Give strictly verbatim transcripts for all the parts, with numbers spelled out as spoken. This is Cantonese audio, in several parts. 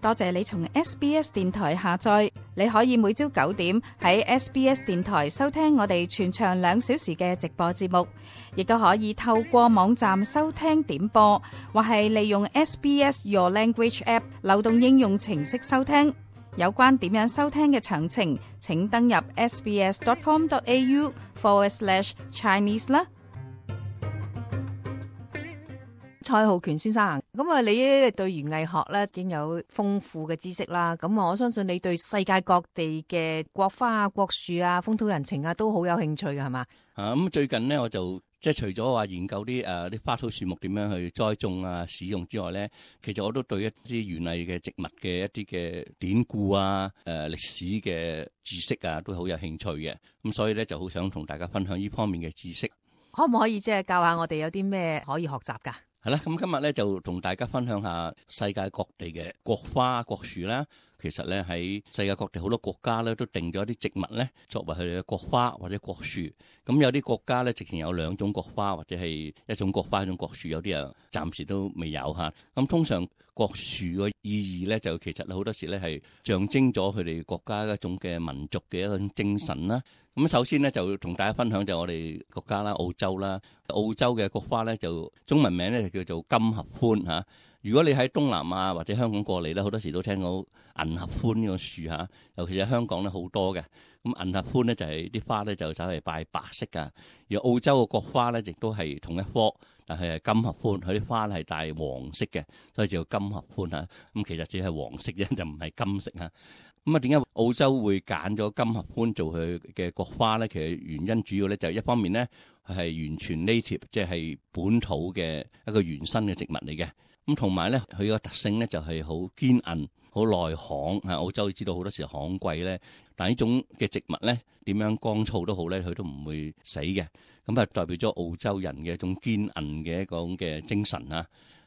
多謝你從 S B S 電台下載，你可以每朝九點喺 S B S 電台收聽我哋全長兩小時嘅直播節目，亦都可以透過網站收聽點播，或係利用 S B S Your Language App 流動應用程式收聽。有關點樣收聽嘅詳情，請登入 sbs.com.au forward slash Chinese 啦。蔡浩權先生，咁啊，你對園藝學咧已經有豐富嘅知識啦。咁啊，我相信你對世界各地嘅國花啊、國樹啊、風土人情啊都好有興趣㗎，係嘛？啊，咁最近呢，我就即係除咗話研究啲誒啲花草樹木點樣去栽種啊、使用之外咧，其實我都對一啲園藝嘅植物嘅一啲嘅典故啊、誒、呃、歷史嘅知識啊，都好有興趣嘅。咁所以咧就好想同大家分享呢方面嘅知識。可唔可以即係教下我哋有啲咩可以學習㗎？係啦，咁今日咧就同大家分享下世界各地嘅國花、國樹啦。其實咧喺世界各地好多國家咧都定咗啲植物咧作為佢哋嘅國花或者國樹。咁有啲國家咧直情有兩種國花或者係一種國花一種國樹，有啲啊暫時都未有嚇。咁通常國樹嘅意義咧就其實好多時咧係象徵咗佢哋國家一種嘅民族嘅一種精神啦。咁首先咧就同大家分享就我哋國家啦，澳洲啦，澳洲嘅國花咧就中文名咧就叫做金合歡嚇。如果你喺東南亞或者香港過嚟咧，好多時都聽到銀合歡呢個樹嚇，尤其是香港咧好多嘅。咁銀合歡咧就係啲花咧就稍為拜白色㗎，而澳洲嘅國花咧亦都係同一科，但係係金合歡，佢啲花係帶黃色嘅，所以叫金合歡嚇。咁其實只係黃色啫，就唔係金色嚇。咁啊，點解澳洲會揀咗金合歡做佢嘅國花咧？其實原因主要咧就係一方面咧係完全 native，即係本土嘅一個原生嘅植物嚟嘅。咁同埋咧，佢個特性咧就係好堅韌、好耐旱。啊，澳洲知道好多時旱季咧，但係呢種嘅植物咧點樣乾燥都好咧，佢都唔會死嘅。咁啊，代表咗澳洲人嘅一種堅韌嘅一種嘅精神啊。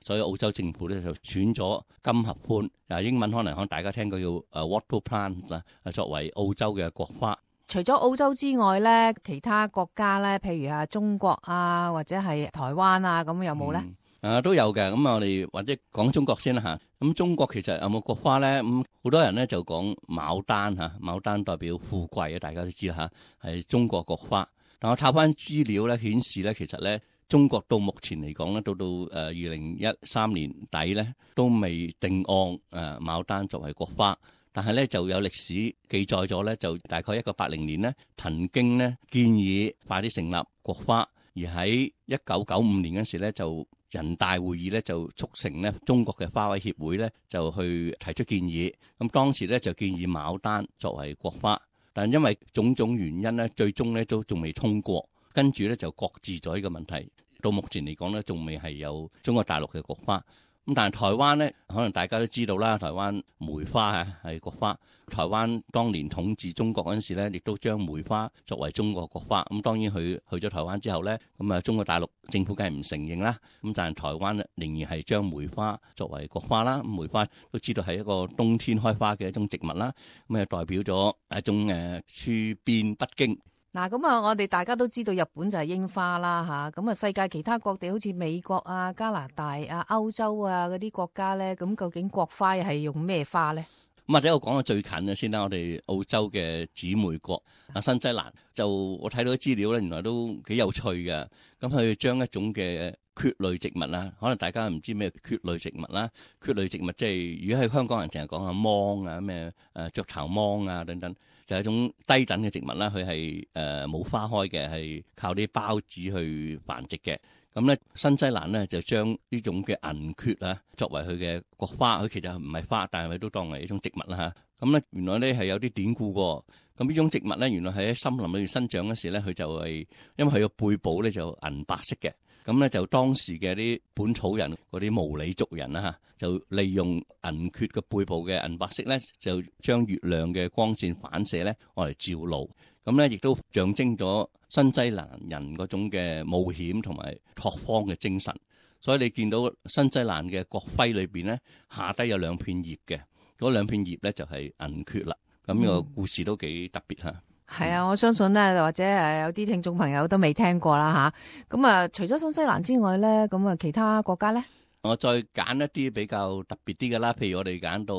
所以澳洲政府咧就選咗金合歡，啊英文可能可能大家聽過叫誒 wattle plant 啦，作為澳洲嘅國花。除咗澳洲之外咧，其他國家咧，譬如啊中國啊，或者係台灣啊，咁有冇咧？嗯、啊都有嘅。咁我哋或者講中國先啦嚇。咁中國其實有冇國花咧？咁好多人咧就講牡丹嚇，牡丹代表富貴啊，大家都知啦嚇，係中國國花。但我查翻資料咧，顯示咧其實咧。中國到目前嚟講咧，到到誒二零一三年底咧，都未定案誒牡丹作為國花。但係咧就有歷史記載咗咧，就大概一九八零年咧，曾經咧建議快啲成立國花，而喺一九九五年嗰時咧，就人大會議咧就促成咧中國嘅花卉協會咧就去提出建議。咁當時咧就建議牡丹作為國花，但因為種種原因咧，最終咧都仲未通過。跟住咧就擱置咗呢個問題，到目前嚟講咧，仲未係有中國大陸嘅國花。咁但係台灣咧，可能大家都知道啦，台灣梅花啊係國花。台灣當年統治中國嗰陣時咧，亦都將梅花作為中國國花。咁當然佢去咗台灣之後咧，咁啊中國大陸政府梗係唔承認啦。咁但係台灣仍然係將梅花作為國花啦。梅花都知道係一個冬天開花嘅一種植物啦。咁啊代表咗一種誒處變不驚。嗱，咁啊，我哋大家都知道日本就係櫻花啦吓，咁啊，世界其他各地好似美國啊、加拿大啊、歐洲啊嗰啲國家咧，咁究竟國花係用咩花咧？咁或者我講個最近嘅先啦，我哋澳洲嘅姊妹國啊新西蘭，就我睇到啲資料咧，原來都幾有趣嘅。咁佢將一種嘅蕨類植物啦，可能大家唔知咩蕨類植物啦，蕨類植物即係如果喺香港人成日講下芒啊咩誒雀巢芒啊等等。就係一種低等嘅植物啦，佢係誒冇花開嘅，係靠啲孢子去繁殖嘅。咁咧，新西蘭咧就將呢種嘅銀蕨啊作為佢嘅國花，佢其實唔係花，但係佢都當係一種植物啦嚇。咁咧，原來咧係有啲典故喎。咁呢種植物咧，原來係喺森林裏面生長嗰時咧，佢就係因為佢個背部咧就銀白色嘅。咁咧就當時嘅啲本草人嗰啲毛利族人啦嚇，就利用銀蕨嘅背部嘅銀白色咧，就將月亮嘅光線反射咧，攞嚟照路。咁咧亦都象徵咗新西蘭人嗰種嘅冒險同埋拓荒嘅精神。所以你見到新西蘭嘅國徽裏邊咧，下低有兩片葉嘅，嗰兩片葉咧就係銀蕨啦。咁呢個故事都幾特別嚇。係啊，我相信咧，或者誒有啲聽眾朋友都未聽過啦吓。咁啊，除咗新西蘭之外咧，咁啊其他國家咧？我再揀一啲比較特別啲嘅啦，譬如我哋揀到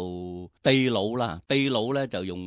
秘魯啦，秘魯咧就用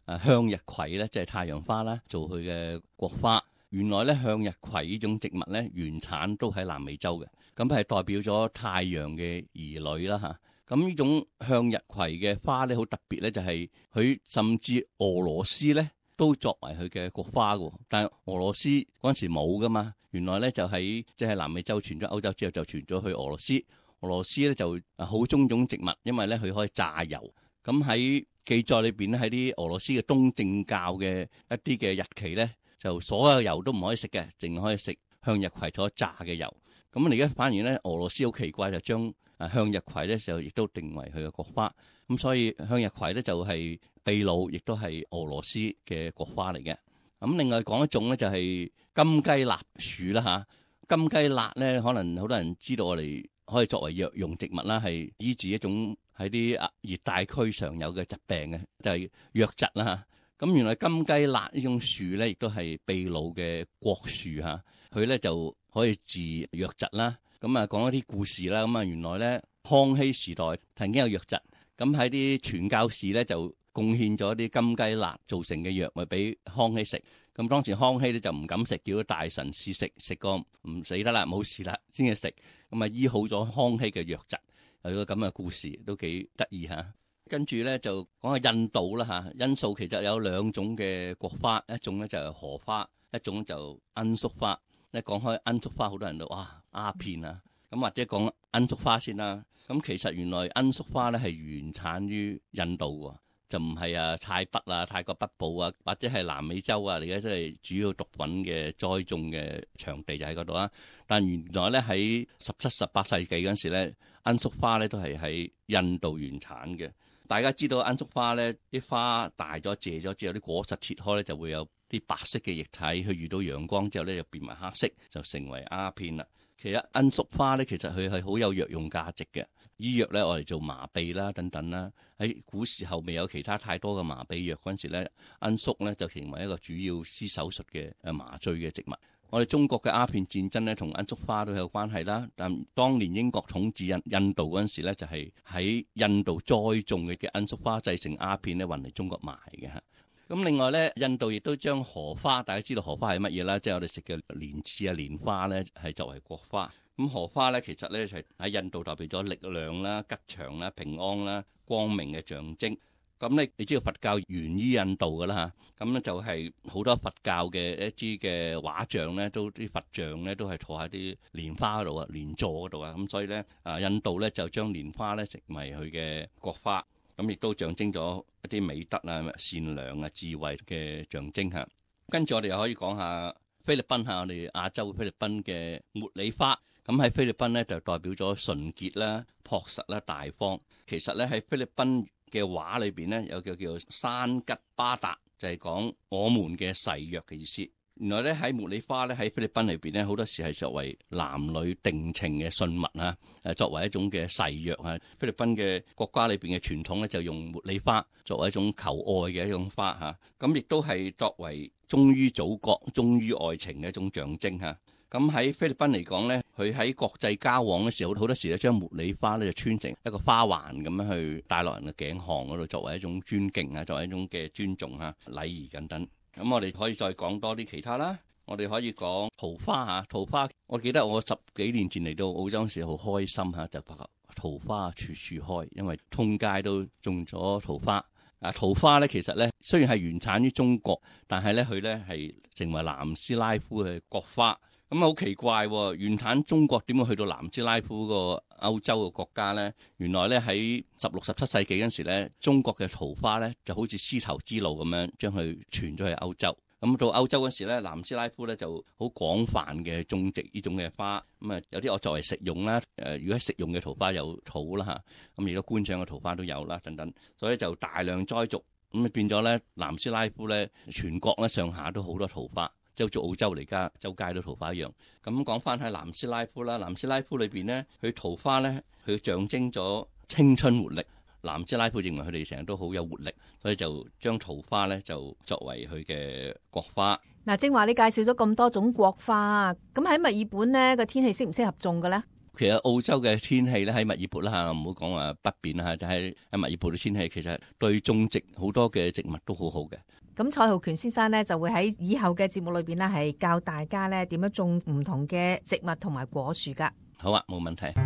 誒向日葵咧，即係太陽花啦，做佢嘅國花。原來咧向日葵呢種植物咧原產都喺南美洲嘅，咁係代表咗太陽嘅兒女啦嚇。咁呢種向日葵嘅花咧好特別咧，就係佢甚至俄羅斯咧都作為佢嘅國花嘅，但係俄羅斯嗰陣時冇噶嘛。原來咧就喺即係南美洲傳咗歐洲之後，就傳咗去俄羅斯。俄羅斯咧就好中意種植物，因為咧佢可以榨油。咁喺記載裏邊咧，喺啲俄羅斯嘅東正教嘅一啲嘅日期咧，就所有油都唔可以食嘅，淨可以食向日葵所榨嘅油。咁而家反而咧，俄羅斯好奇怪，就將向日葵咧就亦都定為佢嘅國花。咁所以向日葵咧就係秘魯，亦都係俄羅斯嘅國花嚟嘅。咁另外講一種咧就係金雞納樹啦嚇。金雞納咧可能好多人知道，我哋可以作為藥用植物啦，係醫治一種喺啲熱帶區常有嘅疾病嘅，就係瘧疾啦嚇。咁原來金雞納呢種樹咧，亦都係秘魯嘅國樹嚇。佢咧就可以治瘧疾啦。咁啊講一啲故事啦。咁啊原來咧康熙時代曾經有瘧疾，咁喺啲傳教士咧就貢獻咗啲金雞納造成嘅藥物俾康熙食。咁當時康熙咧就唔敢食，叫大臣試食，食過唔死得啦，冇事啦先至食。咁啊醫好咗康熙嘅瘧疾。有個咁嘅故事都幾得意嚇。跟住咧就講下印度啦嚇。印度其實有兩種嘅國花，一種咧就係荷花，一種就罌粟花。一講開罌粟花，好多人都哇鴉片啊。咁或者講罌粟花先啦。咁其實原來罌粟花咧係原產於印度喎，就唔係啊泰北啊、泰國北部啊，或者係南美洲啊。而家即係主要毒品嘅栽種嘅場地就喺嗰度啊。但原來咧喺十七、十八世紀嗰陣時咧，罌粟花咧都係喺印度原產嘅。大家知道罌粟花咧，啲花大咗、謝咗之後，啲果實切開咧就會有啲白色嘅液體，佢遇到陽光之後咧就變埋黑色，就成為鴉片啦。其實罌粟花咧，其實佢係好有藥用價值嘅。醫藥咧，我哋做麻痹啦等等啦。喺古時候未有其他太多嘅麻痹藥嗰陣時咧，罌粟咧就成為一個主要施手術嘅誒麻醉嘅植物。我哋中國嘅鴉片戰爭咧，同罌粟花都有關係啦。但當年英國統治印印度嗰陣時咧，就係喺印度栽種嘅嘅罌粟花製成鴉片咧，運嚟中國賣嘅嚇。咁另外咧，印度亦都將荷花，大家知道荷花係乜嘢啦？即係我哋食嘅蓮子啊、蓮花咧，係作為國花。咁荷花咧，其實咧就係喺印度代表咗力量啦、吉祥啦、平安啦、光明嘅象徵。咁咧，你知道佛教源於印度噶啦嚇，咁咧就係好多佛教嘅一啲嘅畫像咧，都啲佛像咧都係坐喺啲蓮花嗰度啊、蓮座嗰度啊，咁所以咧啊，印度咧就將蓮花咧成為佢嘅國花，咁亦都象徵咗一啲美德啊、善良啊、智慧嘅象徵嚇。跟住我哋又可以講下菲律賓嚇，我哋亞洲菲律賓嘅茉莉花，咁喺菲律賓咧就代表咗純潔啦、樸實啦、大方。其實咧喺菲律賓嘅話裏邊咧有個叫做山吉巴達，就係講我們嘅誓約嘅意思。原來咧喺茉莉花咧喺菲律賓裏邊咧好多時係作為男女定情嘅信物啊，誒作為一種嘅誓約啊。菲律賓嘅國家裏邊嘅傳統咧就用茉莉花作為一種求愛嘅一種花嚇，咁亦都係作為忠於祖國、忠於愛情嘅一種象徵嚇。咁喺菲律賓嚟講咧，佢喺國際交往嘅時候，好多時咧將茉莉花咧就穿成一個花環咁樣去戴落人嘅頸項嗰度，作為一種尊敬啊，作為一種嘅尊重啊、禮儀等等。咁我哋可以再講多啲其他啦。我哋可以講桃花嚇，桃花我記得我十幾年前嚟到澳洲時好開心嚇，就發覺桃花處處開，因為通街都種咗桃花。啊，桃花咧其實咧雖然係原產於中國，但係咧佢咧係成為南斯拉夫嘅國花。咁好奇怪喎，原產中國點會去到南斯拉夫個歐洲嘅國家咧？原來咧喺十六、十七世紀嗰陣時咧，中國嘅桃花咧就好似絲綢之路咁樣將佢傳咗去歐洲。咁到歐洲嗰時咧，南斯拉夫咧就好廣泛嘅種植呢種嘅花。咁啊有啲我作為食用啦，誒如果食用嘅桃花有草啦嚇，咁而家觀賞嘅桃花都有啦等等，所以就大量栽種，咁啊變咗咧南斯拉夫咧全國咧上下都好多桃花。即係好似澳洲嚟家周街都桃花一樣。咁講翻喺南斯拉夫啦，南斯拉夫裏邊咧，佢桃花咧，佢象徵咗青春活力。南斯拉夫認為佢哋成日都好有活力，所以就將桃花咧就作為佢嘅國花。嗱，正話你介紹咗咁多種國花，咁喺墨爾本咧個天氣適唔適合種嘅咧？其實澳洲嘅天氣咧喺墨爾本啦嚇，唔好講話北邊啦嚇，就喺喺墨爾本嘅天氣其實對種植好多嘅植物都好好嘅。咁蔡浩權先生咧就會喺以後嘅節目裏邊咧係教大家咧點樣種唔同嘅植物同埋果樹噶。好啊，冇問題。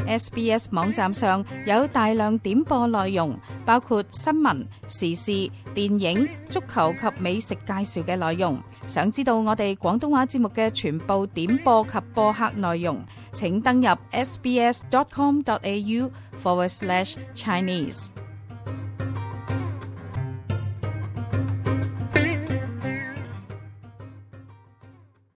S B S 網站上有大量點播內容，包括新聞、時事、電影、足球及美食介紹嘅內容。想知道我哋廣東話節目嘅全部點播及播客內容，請登入 sbs dot com dot a u forward slash Chinese。